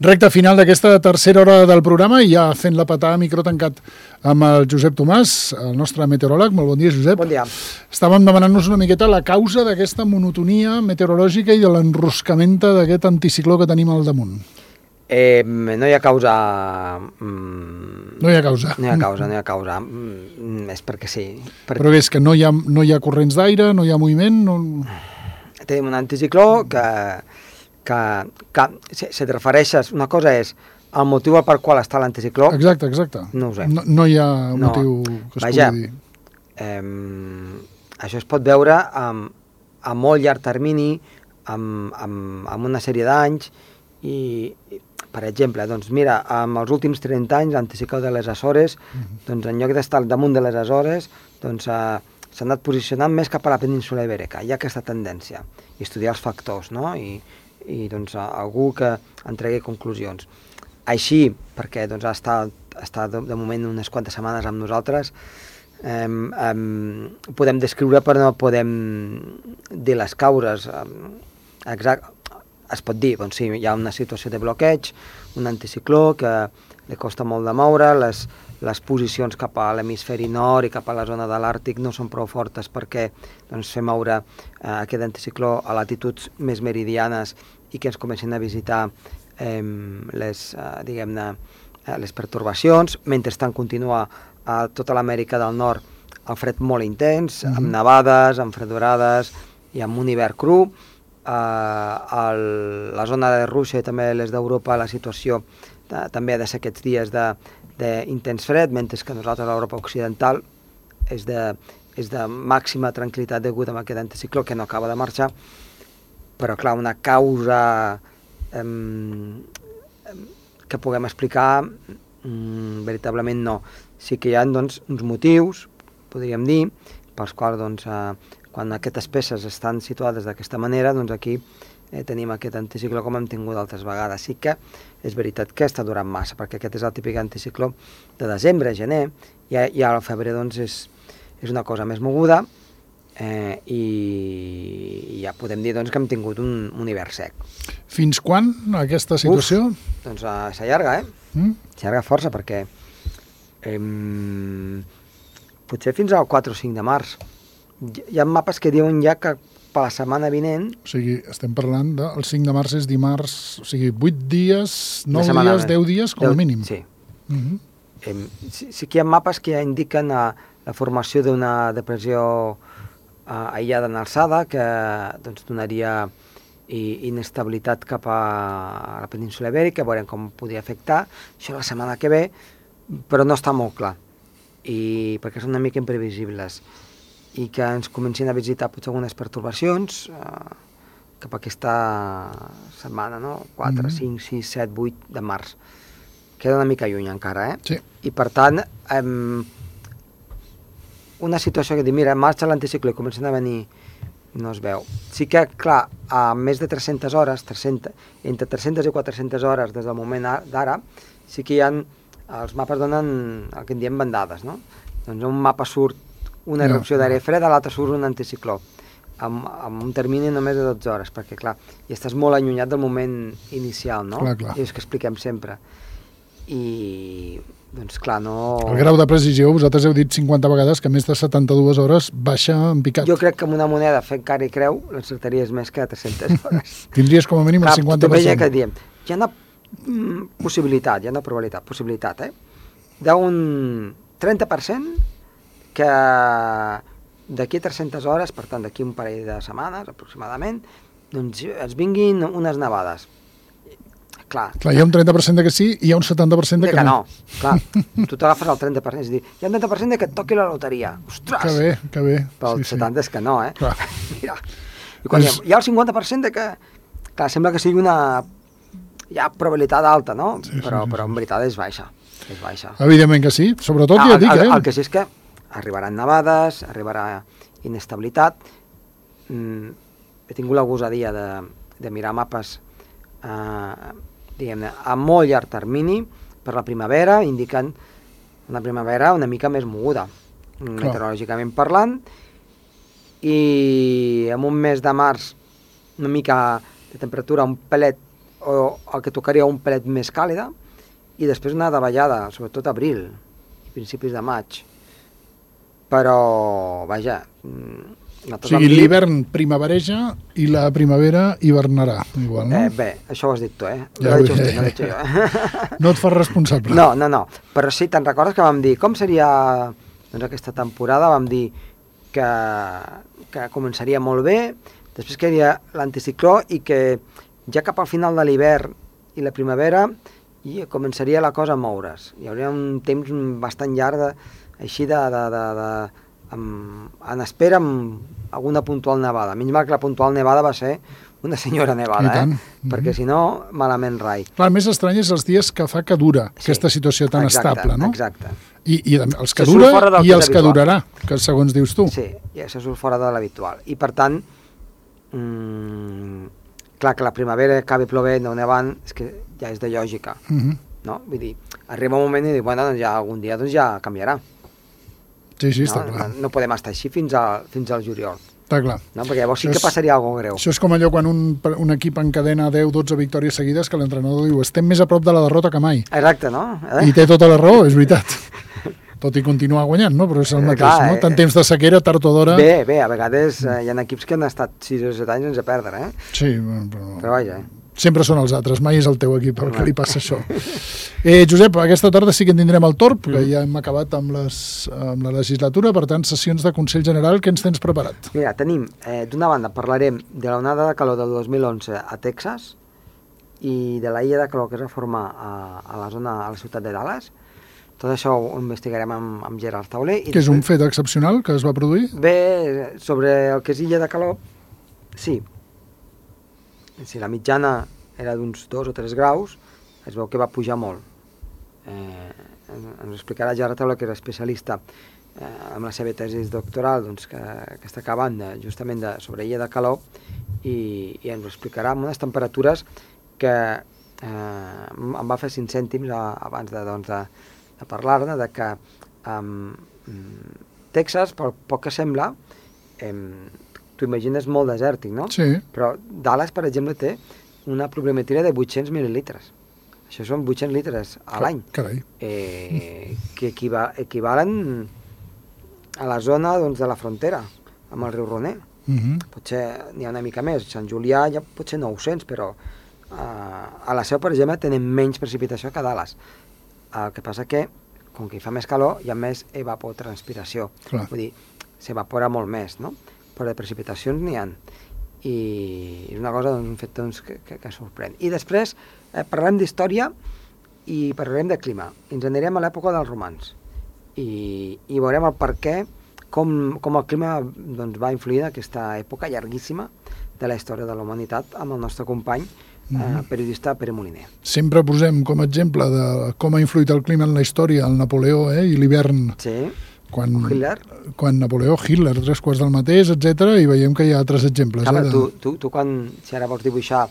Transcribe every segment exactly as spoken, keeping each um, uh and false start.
Recte final d'aquesta tercera hora del programa i ja fent la patada a micro tancat amb el Josep Tomàs, el nostre meteoròleg. Molt bon dia, Josep. Bon dia. Estàvem demanant-nos una miqueta la causa d'aquesta monotonia meteorològica i de l'enroscament d'aquest anticicló que tenim al damunt. Eh, no hi ha causa... Mm, no hi ha causa. No hi ha causa, no hi ha causa. Mm, és perquè sí. Per... Però és que no hi ha, no hi ha corrents d'aire, no hi ha moviment... No... Tenim un anticicló que... que, que si, si et refereixes, una cosa és el motiu per qual està l'anticicló. Exacte, exacte. No ho sé. No, no hi ha un no. motiu que es Vaja, pugui dir. Eh, això es pot veure amb, a molt llarg termini, amb, amb, amb una sèrie d'anys, i, i, per exemple, doncs mira, amb els últims trenta anys, l'anticicló de les Açores, uh-huh. doncs en lloc d'estar al damunt de les Açores, doncs eh, s'ha anat posicionant més cap a la península ibèrica. Hi ha aquesta tendència, i estudiar els factors, no?, i i doncs algú que en tregui conclusions. Així, perquè doncs, ha estat, ha estat de moment unes quantes setmanes amb nosaltres, eh, eh, podem descriure però no podem dir les causes. Eh, exact, es pot dir, doncs sí, hi ha una situació de bloqueig, un anticicló que li costa molt de moure, les, les posicions cap a l'hemisferi nord i cap a la zona de l'Àrtic no són prou fortes perquè doncs, fer moure eh, aquest anticicló a latituds més meridianes i que ens comencin a visitar eh, les, eh, diguem-ne, eh, les pertorbacions. Mentrestant continua a tota l'Amèrica del Nord el fred molt intens, mm-hmm. amb nevades, amb fredorades i amb un hivern cru. Eh, el, la zona de Rússia i també les d'Europa, la situació de, també ha de ser aquests dies de, d'intens fred, mentre que nosaltres a l'Europa Occidental és de, és de màxima tranquil·litat degut a aquest anticicló que no acaba de marxar. Però, clar, una causa eh, que puguem explicar, mm, veritablement no. Sí que hi ha doncs, uns motius, podríem dir, pels quals doncs, eh, quan aquestes peces estan situades d'aquesta manera, doncs aquí eh, tenim aquest anticicló com hem tingut altres vegades. Sí que és veritat que està durant massa, perquè aquest és el típic anticicló de desembre, gener, i, i al febrer doncs, és, és una cosa més moguda, Eh, i ja podem dir doncs, que hem tingut un, un hivern sec. Fins quan aquesta situació? Uf, doncs uh, s'allarga, eh? Mm? S'allarga força perquè eh, potser fins al quatre o cinc de març. Hi ha mapes que diuen ja que per la setmana vinent... O sigui, estem parlant del cinc de març és dimarts, o sigui, vuit dies, nou dies, deu dies, com a mínim. Sí. Mm-hmm. eh, sí. Sí que hi ha mapes que ja indiquen uh, la formació d'una depressió Uh, aïllada en alçada, que doncs, donaria i, inestabilitat cap a la península ibèrica, veurem com podria afectar, això la setmana que ve, però no està molt clar, i perquè són una mica imprevisibles, i que ens comencin a visitar potser algunes pertorbacions uh, cap a aquesta setmana, no? quatre, mm-hmm. cinc, sis, set, vuit de març. Queda una mica lluny encara, eh? Sí. I per tant... Um, una situació que diu, mira, marxa l'anticicló i comencen a venir, no es veu. Sí que, clar, a més de tres-centes hores, tres-centes, entre tres-centes i quatre-centes hores des del moment d'ara, sí que hi ha, els mapes donen el que en diem bandades, no? Doncs un mapa surt una erupció no, d'aire fred, a l'altre surt un anticicló, amb, amb un termini només de dotze hores, perquè, clar, i estàs molt allunyat del moment inicial, no? Clar, clar. I és que expliquem sempre. I... doncs clar, no... El grau de precisió, vosaltres heu dit cinquanta vegades que més de setanta-dues hores baixa en picat. Jo crec que amb una moneda fent cara i creu l'encertaries més que a tres-centes hores. Tindries com a mínim el cinquanta per cent. Clar, que diem, hi ha una mm, possibilitat, hi ha una probabilitat, possibilitat, eh? D'un trenta per cent que d'aquí a tres-centes hores, per tant d'aquí un parell de setmanes aproximadament, doncs es vinguin unes nevades. Clar, clar, hi ha un trenta per cent de que sí i hi ha un setanta per cent de, de que, que no. no. Clar, tu t'agafes el trenta per cent, és a dir, hi ha un trenta per cent de que et toqui la loteria. Ostres! Que bé, que bé. Però el sí, setanta sí. és que no, eh? Clar. Mira, i quan és... hi, ha, hi ha el cinquanta per cent de que... Clar, sembla que sigui una... Hi ha probabilitat alta, no? Sí, però, sí, sí, però en sí. veritat és baixa. És baixa. Evidentment que sí, sobretot ah, ja dic, el, eh? El que sí és que arribaran nevades, arribarà inestabilitat. Mm, he tingut la gosadia de, de mirar mapes... Eh, diguem-ne, a molt llarg termini per la primavera, indicant una primavera una mica més moguda, clar, meteorològicament parlant, i en un mes de març una mica de temperatura un pelet o el que tocaria un pelet més càlida, i després una davallada, sobretot abril, principis de maig. Però, vaja... O sigui, l'hivern primavereja i la primavera hivernarà, igual, no? Eh, bé, això ho has dit tu, eh? Ja ho ho he he... no l'he dit jo. No et fas responsable. No, no, no. Però sí, te'n recordes que vam dir com seria doncs, aquesta temporada? Vam dir que, que començaria molt bé, després que hi havia l'anticicló i que ja cap al final de l'hivern i la primavera i començaria la cosa a moure's. Hi hauria un temps bastant llarg de, així de... de, de, de amb, en espera amb alguna puntual nevada. Menys mal que la puntual nevada va ser una senyora nevada, eh? Mm-hmm. Perquè si no, malament rai. Clar, el més estrany és els dies que fa que dura sí, aquesta situació tan exacte, estable, no? Exacte. I, i els que dura i els que durarà, que segons dius tu. Sí, ja se surt fora de l'habitual. I per tant, mmm, clar, que la primavera acabi plovent o nevant, és que ja és de lògica, mm-hmm. no? Vull dir, arriba un moment i dic, bueno, doncs ja algun dia doncs ja canviarà. Sí, sí, està no, clar. No, no podem estar així fins, a, fins al juliol. Està clar. No? Perquè llavors sí que passaria alguna cosa greu. Això és com allò quan un, un equip encadena deu o dotze victòries seguides que l'entrenador diu estem més a prop de la derrota que mai. Exacte, no? Eh? I té tota la raó, és veritat. Tot i continuar guanyant, no? Però és el mateix, clar, no? Tant temps de sequera, tard o d'hora... Bé, bé, a vegades eh, hi ha equips que han estat sis o set anys sense perdre, eh? Sí, però... Però vaja, eh? Sempre són els altres, mai és el teu equip el que li passa això. Eh, Josep, aquesta tarda sí que en tindrem el torn, que ja hem acabat amb, les, amb la legislatura, per tant, sessions de Consell General, què ens tens preparat? Mira, tenim, eh, d'una banda, parlarem de la onada de calor del dos mil onze a Texas i de la illa de calor que es va formar a, a la zona, a la ciutat de Dallas. Tot això ho investigarem amb, amb Gerard Tauler. I que és un fet excepcional que es va produir? Bé, sobre el que és illa de calor, sí. Si la mitjana era d'uns dos o tres graus, es veu que va pujar molt. Eh, ens explicarà Gerard Tauler, que era especialista eh, amb la seva tesi doctoral doncs, que, que està acabant de, justament de, sobre illa de calor i, i ens ho explicarà amb unes temperatures que eh, em va fer cinc cèntims a, abans de, doncs, de, de parlar-ne, de que eh, Texas, pel poc que sembla, eh, t'ho imagines molt desèrtic, no? Sí. Però Dallas, per exemple, té una pluviometria de vuit-cents mil·lilitres. Això són vuit-cents litres a l'any. Carai. Eh, que equiva, equivalen a la zona doncs, de la frontera, amb el riu Roner. Uh-huh. Potser n'hi ha una mica més. Sant Julià ja potser nou-cents, però eh, a la Seu, per exemple, tenen menys precipitació que a Dallas. El que passa que, com que hi fa més calor, hi ha més evapotranspiració. Clar. Vull dir, s'evapora molt més, no? Però de precipitacions n'hi ha. I és una cosa, doncs, un fet doncs, que, que, que sorprèn. I després eh, parlarem d'història i parlarem de clima. Ens anirem a l'època dels romans i, i veurem el per què, com, com el clima doncs, va influir en aquesta època llarguíssima de la història de la humanitat amb el nostre company, eh, mm-hmm. periodista Pere Moliner. Sempre posem com a exemple de com ha influït el clima en la història el Napoleó eh, i l'hivern. Sí. Quan, Hitler. Quan Napoleó, Hitler, tres quarts del mateix, etcètera, i veiem que hi ha altres exemples. Clar, eh, de... tu, tu, tu quan, si ara vols dibuixar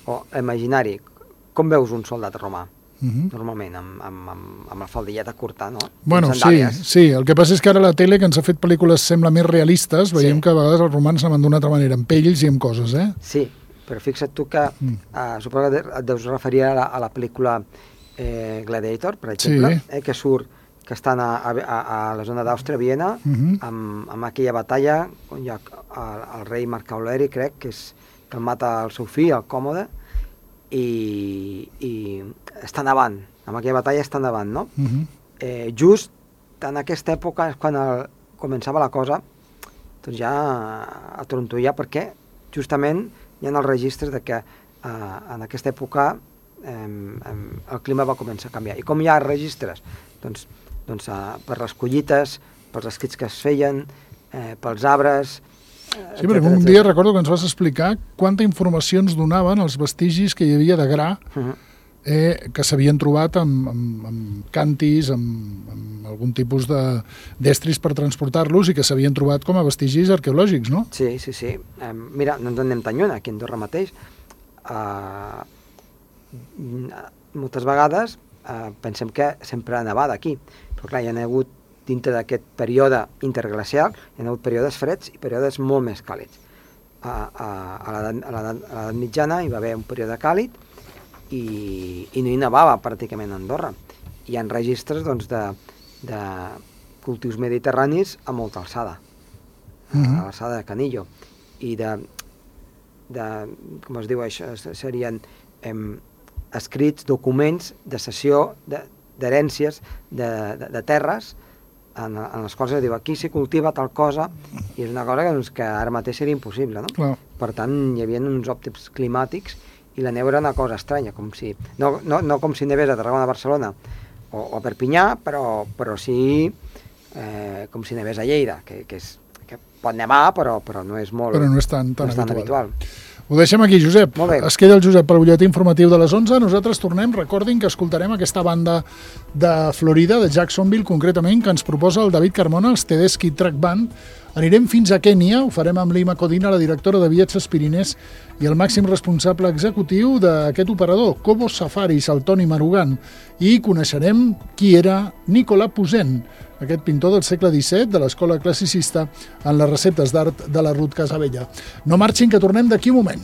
o imaginari, com veus un soldat romà? Uh-huh. Normalment, amb, amb, amb, amb la faldilleta curta, no? Bueno, sí, sí, el que passa és que ara la tele, que ens ha fet pel·lícules sembla més realistes, veiem sí. que a vegades els romans anaven d'una altra manera, amb pells i amb coses, eh? Sí, però fixa't tu que, mm. uh, suposo que et deus referir a la, a la pel·lícula eh, Gladiator, per exemple, sí. eh, que surt que estan a, a, a la zona d'Àustria, Viena, uh-huh. amb, amb aquella batalla on hi ha el, el rei Marc Aureli, crec, que, és, que el mata el seu fill, el Còmode, i, i està endavant, amb aquella batalla està endavant, no? Uh-huh. Eh, just en aquesta època és quan el, començava la cosa doncs ja a trontollar, perquè justament hi ha els registres de que eh, en aquesta època eh, eh, el clima va començar a canviar. I com hi ha registres? Doncs doncs, uh, per les collites, pels escrits que es feien, eh, pels arbres... Eh, sí, perquè un dia recordo que ens vas explicar quanta informació ens donaven els vestigis que hi havia de gra uh-huh. eh, que s'havien trobat amb, amb, amb cantis, amb, amb algun tipus d'estris per transportar-los i que s'havien trobat com a vestigis arqueològics, no? Sí, sí, sí. Eh, mira, no ens en anem tan lluny, aquí a Andorra mateix. Uh, moltes vegades Uh, pensem que sempre ha nevat aquí, però clar, hi ha hagut dintre d'aquest període interglacial, hi ha hagut períodes freds i períodes molt més càlids. Uh, uh, a l'edat mitjana hi va haver un període càlid i, i no hi nevava pràcticament a Andorra. Hi ha registres doncs, de, de cultius mediterranis a molta alçada, uh-huh. a l'alçada de Canillo, i de, de com es diu això, serien em, escrits, documents de cessió d'herències de, de, de terres en, en les quals es diu aquí s'hi cultiva tal cosa, i és una cosa que, doncs, que ara mateix seria impossible, no? Clar. Per tant, hi havia uns òptims climàtics i la neu era una cosa estranya, com si, no, no, no com si nevés a Tarragona, a Barcelona o, o a Perpinyà, però, però sí eh, com si nevés a Lleida, que, que, és, que pot nevar, però, però no és molt però no és tan, tan, no és tan habitual. habitual. Ho deixem aquí, Josep. Es queda el Josep pel butlletí informatiu de les onze. Nosaltres tornem, recordin que escoltarem aquesta banda de Florida, de Jacksonville, concretament, que ens proposa el David Carmona, els Tedeschi Truck Band. Anirem fins a Kènia, ho farem amb Lima Codina, la directora de Viatges Pirinès, i el màxim responsable executiu d'aquest operador, Cobo Safaris, el Toni Marugan, i coneixerem qui era Nicolas Poussin, aquest pintor del segle disset de l'escola classicista en les receptes d'art de la Ruth Casabella. No marxin, que tornem d'aquí un moment.